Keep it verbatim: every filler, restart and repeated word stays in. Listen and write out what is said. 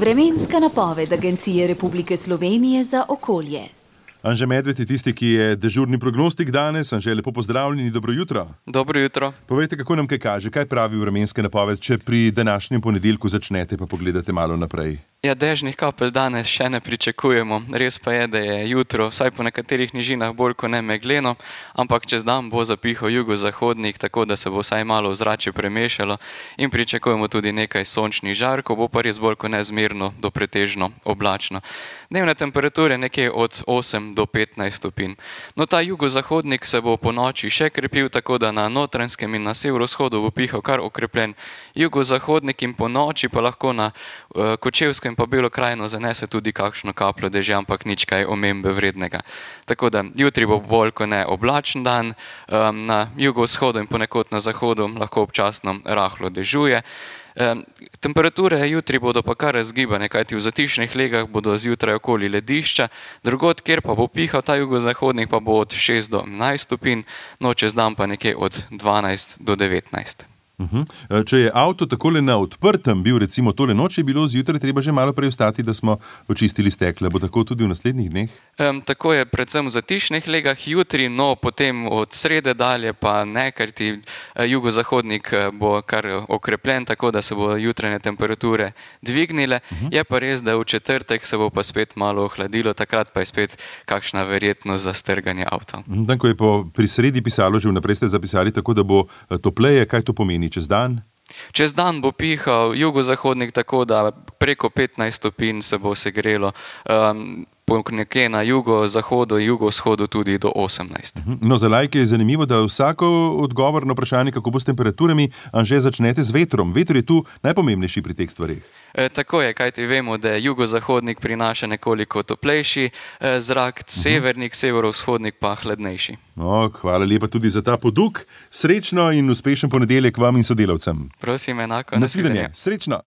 Vremenska napoved Agencije Republike Slovenije za okolje. Anže Medved je tisti, ki je dežurni prognostik danes. Anže, lepo pozdravljeni, dobro jutro. Dobro jutro. Povejte, kako nam kaj kaže, kaj pravi vremenska napoved, če pri današnjem ponedeljku začnete pa pogledate malo naprej. Ja, dežnih kapelj danes še ne pričakujemo. Res pa je, da je jutro, vsaj po nekaterih nižinah, bolj kot ne megleno, ampak čez dan bo zapihal jugozahodnik, tako da se bo vsaj malo ozračje premešalo in pričakujemo tudi nekaj sončnih žarkov, bo pa res bolj kot nezmerno do pretežno oblačno. Dnevne temperature nekje od osem do petnajst stopinj. No, ta jugozahodnik se bo po noči še krepil, tako da na Notranjskem in na severovzhodu bo pihal kar okrepljen jugozahodnik in po noči pa lahko na uh, Kočevskem pa Belo krajino zanese tudi kakšno kapljo dežja, ampak nič kaj omembe vrednega. Tako da jutri bo bolj kot ne oblačen dan, um, na jugovzhodu in ponekod na zahodu lahko občasno rahlo dežuje. Um, temperature jutri bodo pa kar razgibane, kajti v zatišnih legah bodo zjutraj okoli ledišča, drugod, kjer pa bo pihal ta jugozahodnik, pa bo od šest do enajst stopinj, no čez dan pa nekje od dvanajst do devetnajst. Uh-huh. Če je avto takole na odprtem bil, recimo tole noč, je bilo zjutraj treba že malo prej vstati, da smo očistili stekla. Bo tako tudi v naslednjih dneh? Um, tako je predvsem v zatišnih legah jutri, no potem od srede dalje pa ne, ker ti jugozahodnik bo kar okrepljen, tako da se bo jutranje temperature dvignile. Uh-huh. Je pa res, da v četrtek se bo pa spet malo ohladilo, takrat pa je spet kakšna verjetnost za strganje avta. Dan, ko je po pri sredi pisalo, že vnaprej ste zapisali tako, da bo topleje, kaj to pomeni? Čez dan? Čez dan bo pihal jugozahodnik, tako da preko petnajst stopinj se bo segrelo, um, nekje na jugozahodu, jugovzhodu tudi do osemnajst. No, za laike je zanimivo, da vsako odgovor na vprašanje, kako bo s temperaturami, Anže, začnete z vetrom. Veter je tu najpomembnejši pri teh stvareh. E, tako je, kajti vemo, da jugozahodnik prinaša nekoliko toplejši e, zrak, severnik, severovzhodnik pa hladnejši. No, hvala lepa tudi za ta poduk. Srečno in uspešen ponedeljek vam in sodelavcem. Prosim, enako. Nasvidenje. Srečno.